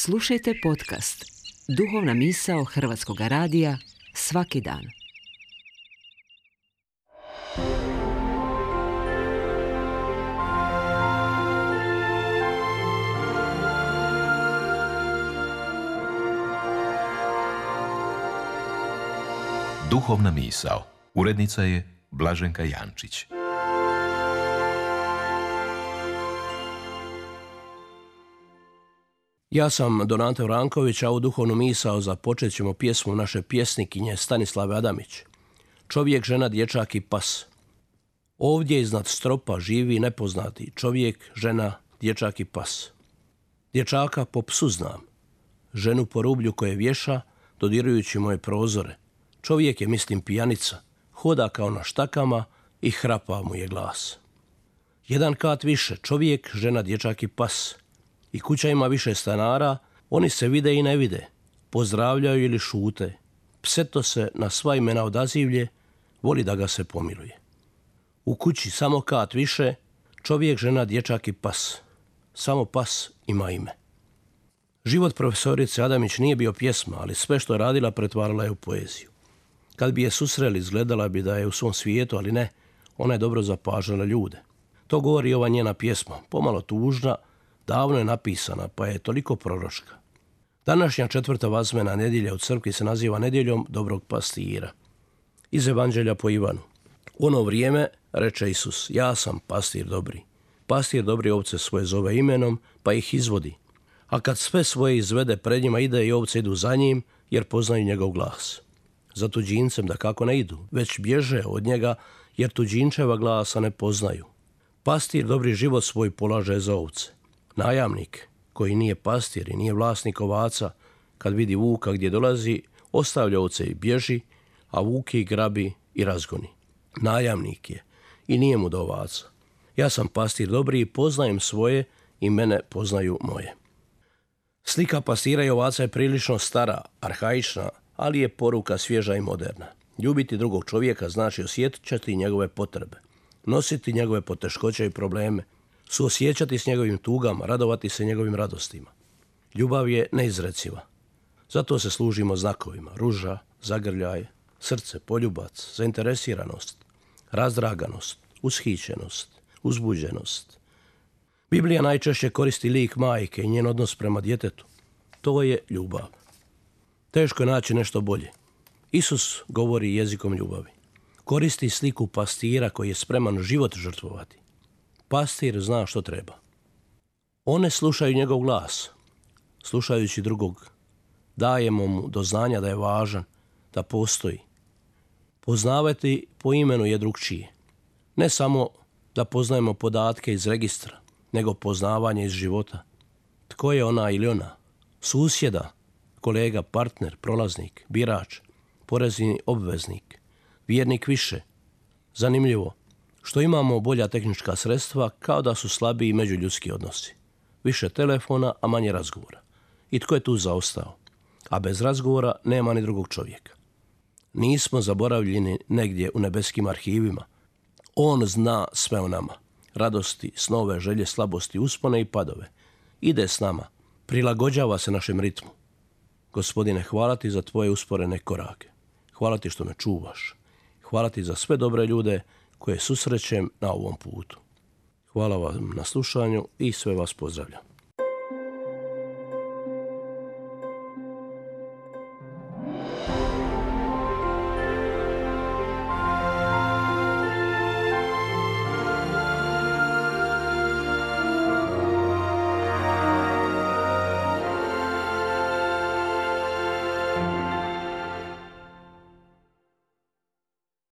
Slušajte podcast Duhovna misao Hrvatskog radija svaki dan. Duhovna misao. Urednica je Blaženka Jančić. Ja sam Donato Vranković, a u duhovnu misao započet ćemo pjesmu naše pjesnikinje Stanislave Adamić. Čovjek, žena, dječak i pas. Ovdje iznad stropa živi nepoznati čovjek, žena, dječak i pas. Dječaka po psu znam, ženu po rublju koje vješa, dodirujući moje prozore. Čovjek je, mislim, pijanica, hoda kao na štakama i hrapa mu je glas. Jedan kat više, čovjek, žena, dječak i pas. I kuća ima više stanara, oni se vide i ne vide, pozdravljaju ili šute. Pseto se na sva imena odazivlje, voli da ga se pomiluje. U kući samo kat više, čovjek, žena, dječak i pas. Samo pas ima ime. Život profesorice Adamić nije bio pjesma, ali sve što je radila pretvarala je u poeziju. Kad bi je susreli, izgledala bi da je u svom svijetu, ali ne, ona je dobro zapažala ljude. To govori ova njena pjesma, pomalo tužna, davno je napisana, pa je toliko proročka. Današnja 4. vazmena nedjelja u crkvi se naziva nedjeljom dobrog pastira. Iz Evanđelja po Ivanu. U ono vrijeme reče Isus, ja sam pastir dobri. Pastir dobri ovce svoje zove imenom, pa ih izvodi. A kad sve svoje izvede, pred njima ide i ovce idu za njim, jer poznaju njegov glas. Za tuđincem da kako ne idu, već bježe od njega, jer tuđinčeva glasa ne poznaju. Pastir dobri život svoj polaže za ovce. Najamnik, koji nije pastir i nije vlasnik ovaca, kad vidi vuka gdje dolazi, ostavlja ovce i bježi, a vuk ih grabi i razgoni. Najamnik je i nije mu do ovaca. Ja sam pastir dobri i poznajem svoje i mene poznaju moje. Slika pastira i ovaca je prilično stara, arhaična, ali je poruka svježa i moderna. Ljubiti drugog čovjeka znači osjećati njegove potrebe, nositi njegove poteškoće i probleme, suosjećati s njegovim tugama, radovati se njegovim radostima. Ljubav je neizreciva. Zato se služimo znakovima: ruža, zagrljaj, srce, poljubac, zainteresiranost, razdraganost, ushićenost, uzbuđenost. Biblija najčešće koristi lik majke i njen odnos prema djetetu. To je ljubav. Teško je naći nešto bolje. Isus govori jezikom ljubavi. Koristi sliku pastira koji je spreman život žrtvovati. Pastir zna što treba. One slušaju njegov glas. Slušajući drugog, dajemo mu do znanja da je važan, da postoji. Poznavati po imenu je drugčije. Ne samo da poznajemo podatke iz registra, nego poznavanje iz života. Tko je ona ili ona? Susjeda, kolega, partner, prolaznik, birač, porezni obveznik, vjernik više. Zanimljivo, što imamo bolja tehnička sredstva, kao da su slabiji međuljudski odnosi. Više telefona, a manje razgovora. I tko je tu zaostao? A bez razgovora nema ni drugog čovjeka. Nismo zaboravljeni negdje u nebeskim arhivima. On zna sve o nama. Radosti, snove, želje, slabosti, uspone i padove. Ide s nama. Prilagođava se našem ritmu. Gospodine, hvala ti za tvoje usporene korake. Hvala ti što me čuvaš. Hvala ti za sve dobre ljude koje susrećem na ovom putu. Hvala vam na slušanju i sve vas pozdravljam.